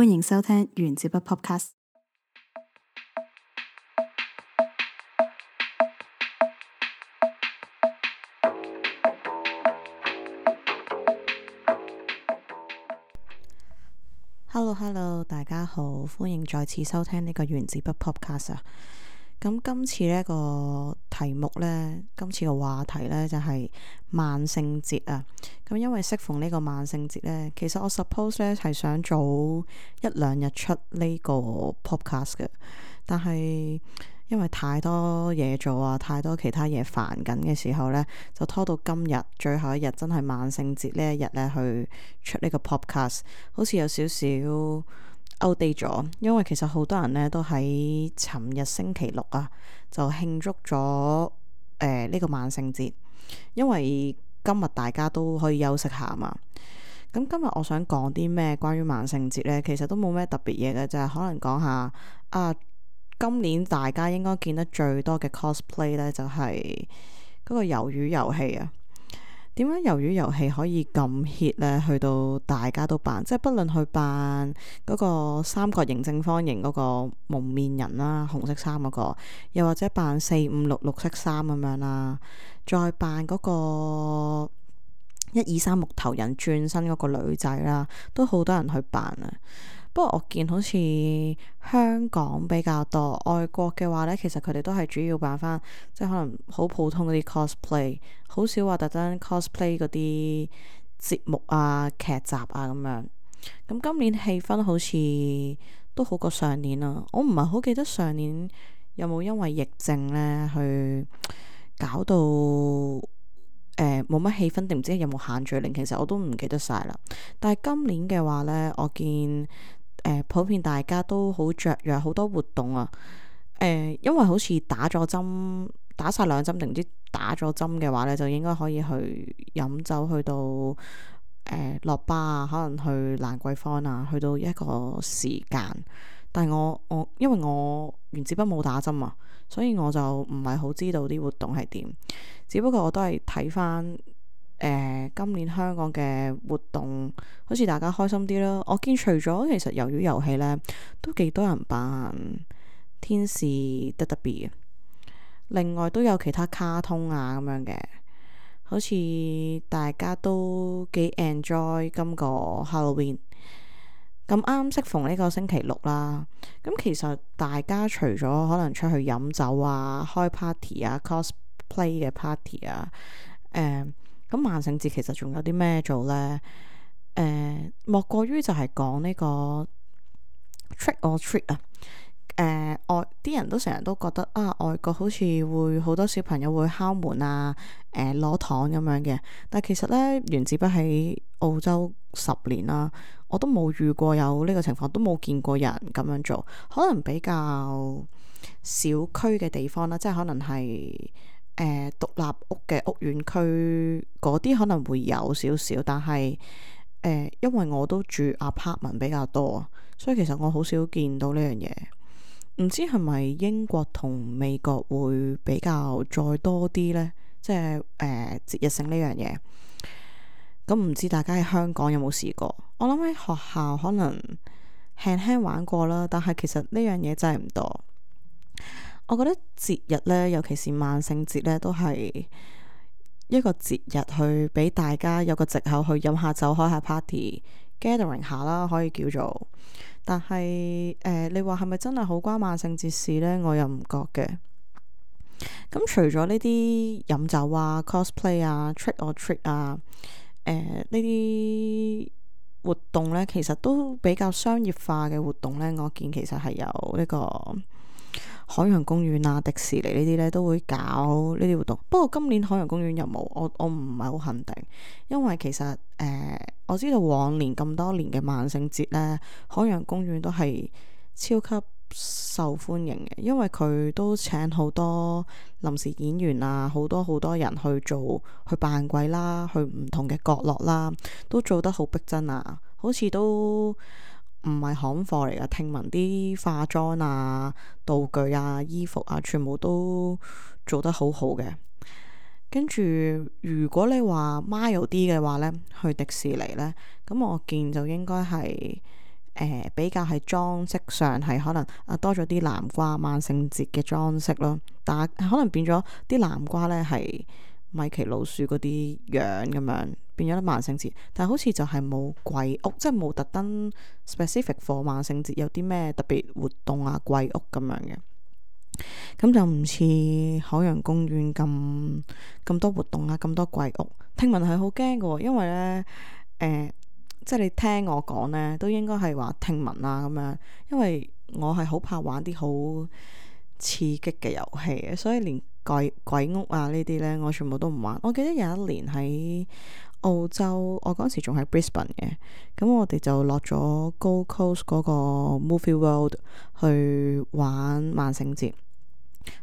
歡迎收聽原子筆 Podcast。Hello，大家好，歡迎再次收聽呢個原子筆 Podcast 啊。咁今次呢個題目呢，今次嘅話題呢，就係萬聖節啊。咁因為適逢呢個萬聖節呢，其實我 suppose 呢係想早一兩日出呢個 podcast 嘅，但係因為太多嘢做啊，太多其他嘢煩緊嘅時候呢，就拖到今日最後一日，真係萬聖節呢一日呢去出呢個 podcast， 好似有少少outdate咗，因為其實好多人呢都喺尋日星期六啊，就慶祝咗呢個萬聖節，因為今日大家都可以休息下嘛。咁今日我想講啲咩關於萬聖節呢？其實都冇咩特別嘢嘅，就係可能講下啊，今年大家應該見得最多嘅 cosplay 呢，就係嗰個魷魚遊戲啊。點解魷魚遊戲可以咁 hit 呢？去到大家都扮，即係不論去扮嗰個三角形正方形嗰個蒙面人啦，紅色衫嗰個，又或者扮456綠色衫咁樣啦，再扮嗰個123木頭人轉身嗰個女仔啦，都好多人去扮啊。不過我見好似香港比較多，外國嘅話呢，其實佢哋都係主要扮翻，即係可能好普通嗰啲 cosplay，好少話特登 cosplay 嗰啲節目啊、劇集啊咁樣。咁今年氣氛好似都好過上年啊，我唔係好記得上年有冇因為疫症呢去搞到冇乜氣氛，定唔知有冇限聚令，其實我都唔記得晒啦。但係今年嘅話呢，我見普遍大家都好雀躍，好多活動啊。因為好似打咗針，打晒2針定唔知打咗針嘅話呢，就應該可以去飲酒，去到落巴啊，可能去蘭桂坊啊，去到一個時間。但係我因為我原子筆冇打針啊，所以我就唔係好知道啲活動係點。只不過我都係睇翻今年香港嘅活動，好似大家開心啲啦。我見除咗其實魷魚遊戲呢，都幾多人扮天使得得 B 嘅，另外都有其他卡通啊咁樣嘅，好似大家都幾 enjoy 今個 Halloween。咁啱適逢呢個星期六啦，咁其實大家除咗可能出去飲酒啊、開 party 啊、cosplay 嘅 party 啊，咁萬聖節其實仲有啲咩做呢？莫過於就係講呢個 trick or treat 啊。外啲人都成日都覺得啊，外國好似會好多小朋友會敲門啊，攞糖咁樣嘅。但其實呢，原子筆喺澳洲10年啦，我都冇遇過有呢個情況，都冇見過人咁樣做。可能比較小區嘅地方啦，即係可能係獨立屋嘅屋苑區嗰啲可能會有少少，但係因為我都住 apartment 比較多，所以其實我好少見到呢樣嘢。唔知係咪英國同美國會比較再多啲呢？即係節日性呢樣嘢。咁唔知大家喺香港有冇試過？我諗喺學校可能輕輕玩過啦，但係其實呢樣嘢真係唔多。我覺得節日呢，尤其是萬聖節呢，都係一個節日去俾大家有個藉口去飲下酒、開下 party、gathering 下啦，可以叫做。但係你話係咪真係好關萬聖節事呢？我又唔覺嘅。咁除咗呢啲飲酒啊、cosplay 啊、trick or treat 啊，呢啲活動呢，其實都比較商業化嘅活動呢。我見其實係有呢個海洋公園啊、迪士尼呢啲呢都會搞呢啲活動。不過今年海洋公園有冇？我唔係好肯定，因為其實我知道往年咁多年嘅萬聖節呢，海洋公園都係超級受歡迎嘅，因為佢都請好多臨時演員啊，好多人去扮鬼啦，去唔同嘅角落啦，都做得好逼真啊，好似都唔係行貨嚟噶。聽聞啲化妝啊、道具啊、衣服啊，全部都做得好好嘅。跟住如果你話 mild 啲嘅話呢，去迪士尼呢，咁我見就應該係比較係裝飾上係可能多咗啲南瓜萬聖節嘅裝飾咯，但係可能變咗啲南瓜咧係米奇老鼠嗰啲樣咁樣，變咗咧萬聖節，但係好似就係冇鬼屋，即係冇特登 specific for 萬聖節有啲咩特別活動啊鬼屋咁樣嘅，咁就唔似海洋公園咁多活動啊，咁多鬼屋。聽聞係好驚嘅，因為咧即係你聽我講呢，都應該係話聽聞啦咁樣，因為我係好怕玩啲好刺激嘅遊戲嘅，所以連鬼屋啊呢啲呢，我全部都唔玩。我記得有一年喺澳洲，我嗰時仲喺 Brisbane 嘅，咁我哋就落咗 Gold Coast 嗰個 Movie World 去玩萬聖節。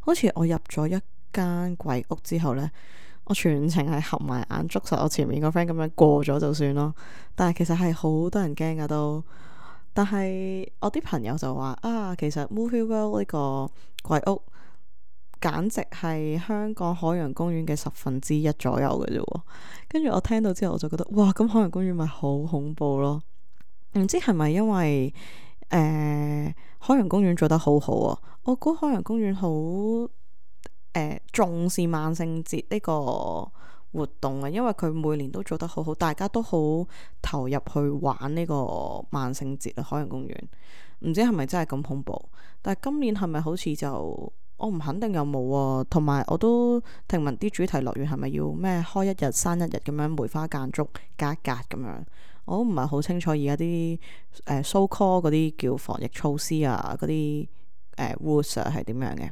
好似我入咗一間鬼屋之後呢，我全程係合埋眼捉實我前面個 friend 咁樣過咗就算咯。但係其實係好多人驚噶都。但係我啲朋友就話其實 Movie World 呢個鬼屋簡直係香港海洋公園嘅1/10左右嘅啫。跟住我聽到之後我就覺得哇，咁海洋公園咪好恐怖咯。唔知係咪因為海洋公園做得好好啊？我估海洋公園好重視萬聖節呢個活動啊，因為佢每年都做得好好，大家都好投入去玩呢個萬聖節啊。海洋公園唔知係咪真係咁恐怖，但係今年係咪好似就我唔肯定有冇啊。同埋我都聽聞啲主題樂園係咪要咩開一日閂一日咁樣梅花間竹隔一隔咁樣，我都唔係好清楚而家啲so call 嗰啲叫防疫措施啊，嗰啲rules 係點樣嘅。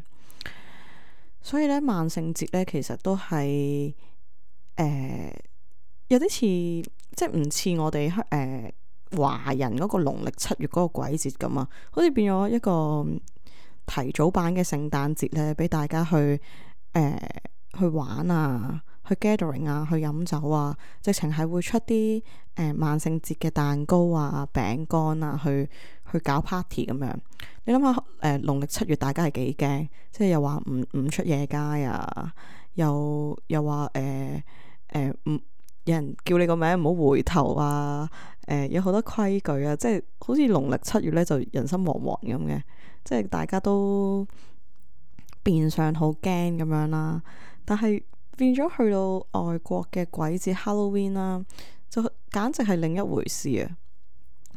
所以咧萬聖節咧其實都係有啲似，即係唔似我哋華人嗰個農曆7月嗰個鬼節咁啊，好似變咗一個提早版嘅聖誕節咧，俾大家去玩啊，去 gathering 啊，去飲酒啊，直情係會出啲萬聖節嘅蛋糕啊、餅乾啊，去搞 party 咁樣。你諗下農曆7月大家係幾驚，即係又話唔出夜街啊，又話唔有人叫你個名唔好回頭啊，有好多規矩啊，即係好似農曆7月咧就人心惶惶咁嘅，即係大家都變相好驚咁樣啦。但係變咗去到外國嘅鬼節 Halloween 啦，就簡直係另一回事啊！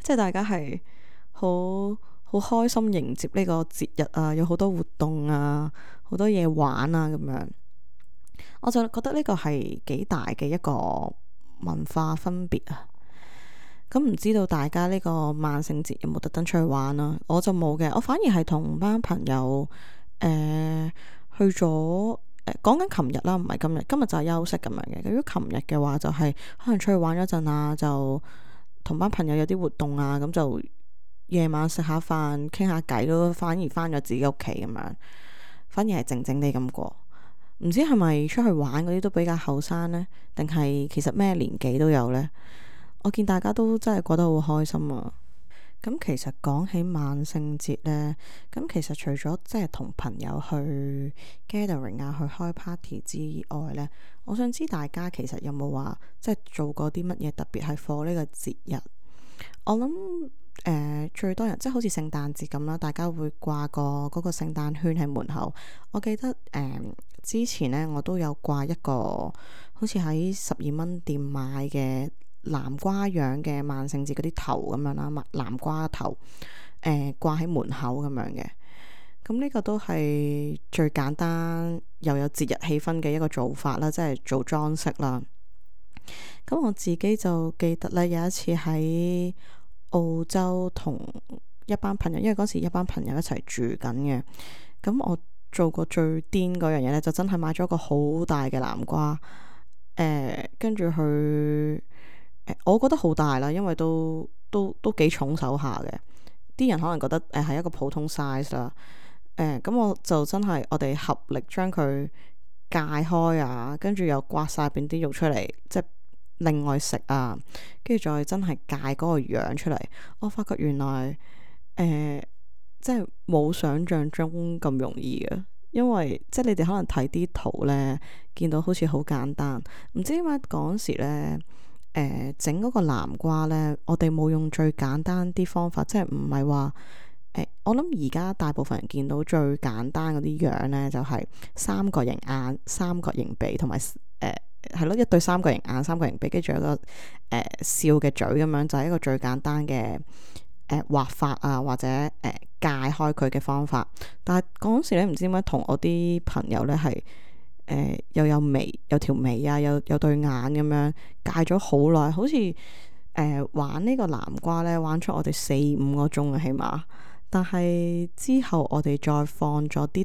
即係大家係好開心迎接呢個節日啊，有好多活動啊，好多嘢玩啊咁樣。我就覺得呢個係幾大嘅一個文化分別啊。咁唔知道大家呢個萬聖節有冇特登出去玩啊？我就冇嘅，我反而係同班朋友去咗講緊琴日啦，唔係今日。今日就係休息咁樣嘅。如果琴日嘅話，就係可能出去玩一陣啊，就同班朋友有啲活動啊，咁就夜晚食下飯傾下偈咯。反而翻咗自己屋企咁樣，反而係靜靜地咁過。唔知係咪出去玩嗰啲都比較後生呢？定係其實咩年紀都有呢？我見大家都真係過得好開心啊！咁其實講起萬聖節呢，咁其實除咗即係同朋友去 gathering 啊，去開 party 之外呢，我想知大家其實有冇話即係做過啲乜嘢特別係 for 呢個節日？我諗最多人即係好似聖誕節咁啦，大家會掛個嗰個聖誕圈喺門口。我記得之前呢，我都有掛一個好似喺12蚊店買嘅南瓜樣嘅萬聖節嗰啲頭咁樣啦，南瓜頭掛喺門口咁樣嘅。咁呢個都係最簡單又有節日氣氛嘅一個做法啦，即係做裝飾啦。咁我自己就記得咧，有一次喺澳洲同一班朋友，因為嗰時一班朋友一齊住緊嘅。咁我做過最癲嗰樣嘢咧，就真係買咗個好大嘅南瓜，跟住去我覺得好大啦，因為都幾重手下嘅。啲人可能覺得係一個普通 size 啦。咁我就真係我哋合力將佢解開啊，跟住又刮晒邊啲肉出嚟，即係另外食啊，跟住再真係解嗰個樣出嚟。我發覺原來即係冇想象中咁容易嘅，因為即係你哋可能睇啲圖呢，見到好似好簡單，唔知點解嗰時呢，整嗰個南瓜呢，我哋冇用最簡單啲方法，即係唔係話我諗而家大部分人見到最簡單嗰啲樣呢，就係三角形眼、三角形鼻同埋係咯，一對三角形眼、三角形鼻，跟住有一個笑嘅嘴咁樣，就係一個最簡單嘅畫法啊，或者界開佢嘅方法。但係嗰時咧，唔知點解同我啲朋友咧係又有眉，有條眉啊，有對眼咁樣界咗好耐，好似玩呢個南瓜咧，玩出我哋4-5個鐘啊，起碼。但係之後我哋再放咗啲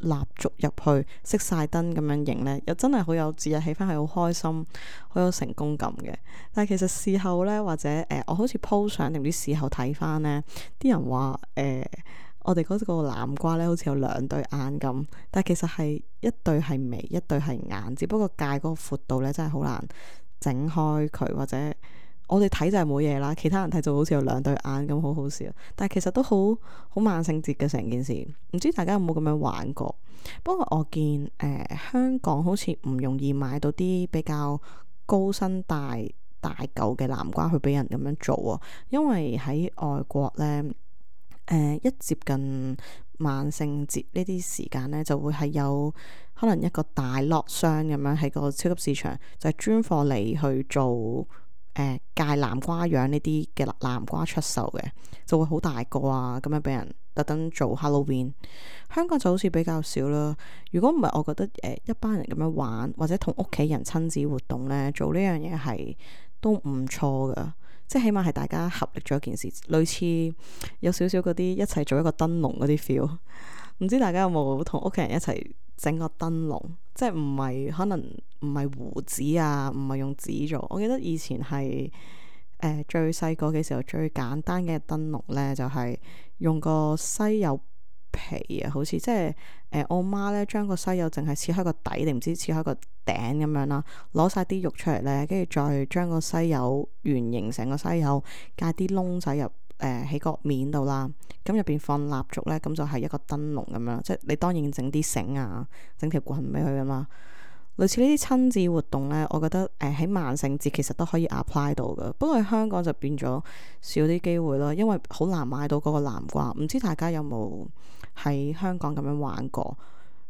蠟燭入去，熄晒燈咁樣影呢，又真係好有節日氣氛，係好開心，好有成功感嘅。但係其實事後呢，或者我好似 po 相定唔知事後睇翻呢，啲人話我哋嗰個南瓜呢，好似有2對眼咁，但係其實係一對係眉，一對係眼，只不過界嗰個闊度呢，真係好難整開佢，或者我哋睇就係冇嘢啦，其他人睇就好似有2對眼咁，好好笑。但係其實都好萬聖節嘅成件事，唔知大家有冇咁樣玩過？不過我見香港好似唔容易買到啲比較高身大嚿嘅南瓜去俾人咁樣做啊，因為喺外國呢，一接近萬聖節呢啲時間呢，就會係有可能一個大 lot 箱咁樣喺個超級市場，就係專貨你去做芥南瓜樣呢啲嘅南瓜出售嘅，就會好大個啊，咁樣俾人特登做 Halloween。香港就好似比較少啦。如果唔係，我覺得一班人咁樣玩，或者同屋企人親子活動呢，做呢樣嘢係都唔錯噶。即係起碼係大家合力做一件事，類似有少少嗰啲一齊做一個燈籠嗰啲 feel。唔知大家有冇同屋企人一齊整個燈籠？即係唔係可能唔係胡紙啊，唔係用紙做。我記得以前係最細個嘅時候，最簡單嘅燈籠呢，就係用個西柚皮啊，好似即係我媽呢將個西柚淨係切開個底定唔知切開個頂咁樣啦，攞晒啲肉出嚟呢，跟住再將個西柚圓形成個西柚，界啲窿仔入喺個面度啦，咁入邊放蠟燭呢，咁就係一個燈籠咁樣，即係你當然整啲繩啊，整條棍俾佢噶嘛。類似呢啲親子活動呢，我覺得喺萬聖節其實都可以 apply 到噶，不過喺香港就變咗少啲機會咯，因為好難買到嗰個南瓜。唔知大家有冇喺香港咁樣玩過？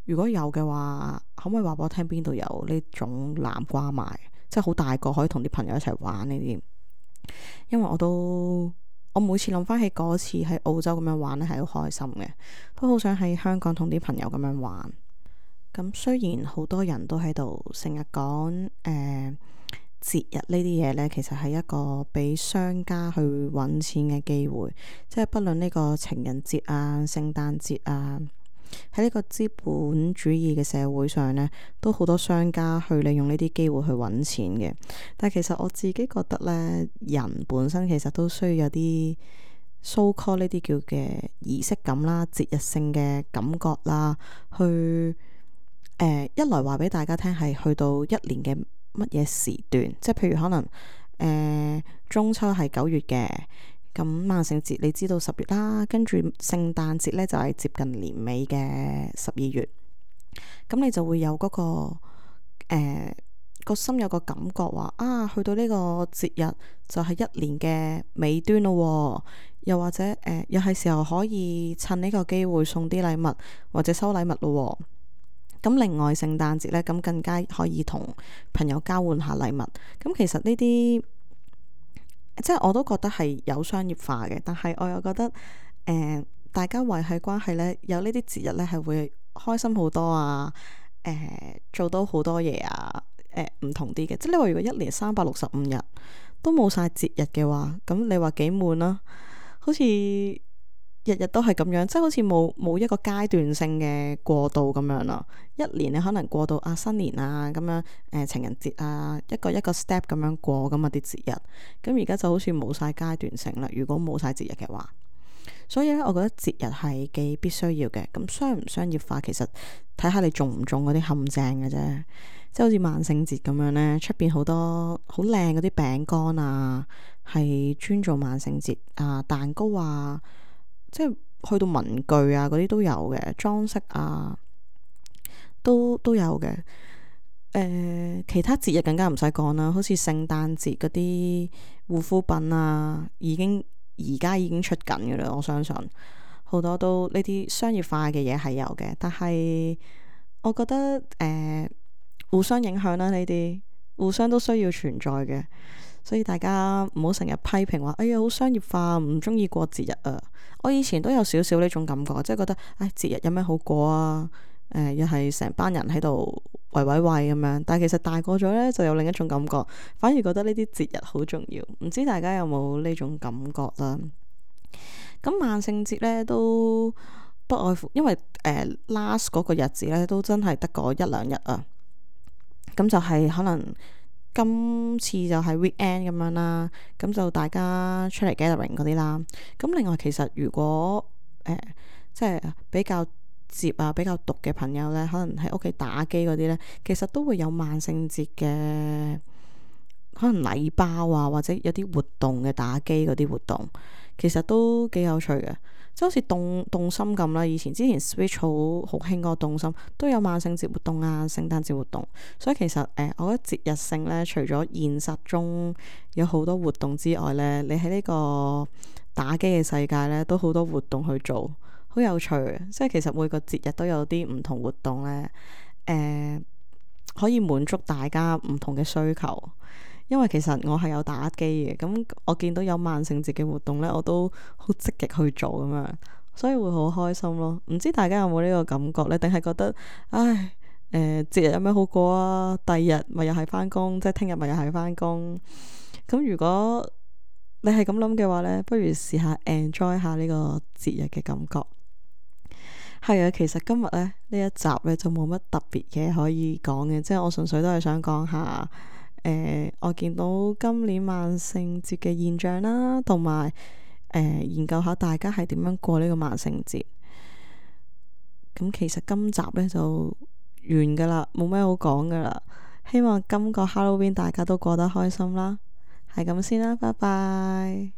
如果有嘅話，可唔可以話俾我聽邊度有呢種南瓜賣？即係好大個，可以同啲朋友一齊玩呢啲。因為我每次諗翻起嗰次喺澳洲咁樣玩咧，係好開心嘅，都好想喺香港同啲朋友咁樣玩。咁雖然好多人都喺度成日講節日呢啲嘢呢，其實係一個俾商家去揾錢嘅機會，即係不論呢個情人節啊、聖誕節啊，喺呢個資本主義嘅社會上呢，都好多商家去利用呢啲機會去揾錢嘅。但係其實我自己覺得呢，人本身其實都需要有啲so call 呢啲叫嘅儀式感啦、節日性嘅感覺啦，去一來話俾大家聽係去到一年嘅乜嘢時段，即係譬如可能中秋係9月嘅，咁萬聖節你知道10月啦，跟住聖誕節呢就係接近年尾嘅12月，咁你就會有嗰個心有個感覺話啊，去到呢個節日就係一年嘅尾端咯，又或者又係時候可以趁呢個機會送啲禮物或者收禮物咯。咁另外聖誕節呢，咁更加可以同朋友交換下禮物。咁其實呢啲即係我都覺得係有商業化嘅，但係我又覺得大家維繫關係呢，有呢啲節日呢係會開心好多啊，做到好多嘢啊，唔同啲嘅。即係你話如果一年365日都冇晒節日嘅話，咁你話幾悶啦？好似日日都係咁樣，即係好似冇一個階段性嘅過渡咁樣啦。一年你可能過到啊新年啊咁樣，情人節啊，一個 step 咁樣過咁啊啲節日。咁而家就好似冇晒階段性啦。如果冇晒節日嘅話，所以咧，我覺得節日係幾必須要嘅。咁商唔商業化，其實睇下你中唔中嗰啲陷阱嘅啫。即係好似萬聖節咁樣呢，出邊好多好靚嗰啲餅乾啊，係專做萬聖節啊，蛋糕啊。即係去到文具啊嗰啲都有嘅，裝飾啊都有嘅。其他節日更加唔使講啦，好似聖誕節嗰啲護膚品啊，而家已經出緊嘅啦。我相信好多都呢啲商業化嘅嘢係有嘅，但係我覺得互相影響啦，呢啲互相都需要存在嘅，所以大家唔好成日批評話，哎呀好商業化，唔中意過節日啊！我以前都有少少呢種感覺，即係覺得，唉，節日有咩好過啊？又係成班人喺度圍咁樣，但係其實大個咗呢，就有另一種感覺，反而覺得呢啲節日好重要。唔知大家有冇呢種感覺啦？咁萬聖節呢，都不外乎，因為last 嗰個日子呢，都真係得嗰一兩日啊。咁就係可能今次就係 weekend 咁樣啦，咁就大家出嚟 gathering 嗰啲啦。咁另外其實如果即係比較接啊比較毒嘅朋友呢，可能喺屋企打機嗰啲呢，其實都會有萬聖節嘅可能禮包啊，或者有啲活動嘅打機嗰啲活動，其實都幾有趣嘅。即係好似動心咁啦，之前 Switch 好興嗰個動心，都有萬聖節活動啊、聖誕節活動，所以其實我覺得節日性呢，除咗現實中有好多活動之外呢，你喺呢個打機嘅世界呢，都好多活動去做，好有趣嘅。即係其實每個節日都有啲唔同活動呢，可以滿足大家唔同嘅需求。因為其實我係有打機嘅，咁我見到有萬聖節嘅活動呢，我都好積極去做咁樣，所以會好開心咯。唔知大家有冇呢個感覺呢？定係覺得唉，節日有咩好過啊？第二日咪又係返工，即係聽日咪又係返工。咁如果你係咁諗嘅話呢，不如試下 enjoy 下呢個節日嘅感覺。係啊，其實今日呢一集呢，就冇乜特別嘢可以講嘅，即係我純粹都係想講下。我見到今年萬聖節嘅現象啦，同埋研究下大家係點樣過呢個萬聖節。咁其實今集呢就完噶啦，冇咩好講噶啦。希望今個 Halloween 大家都過得開心啦。係咁先啦，拜拜。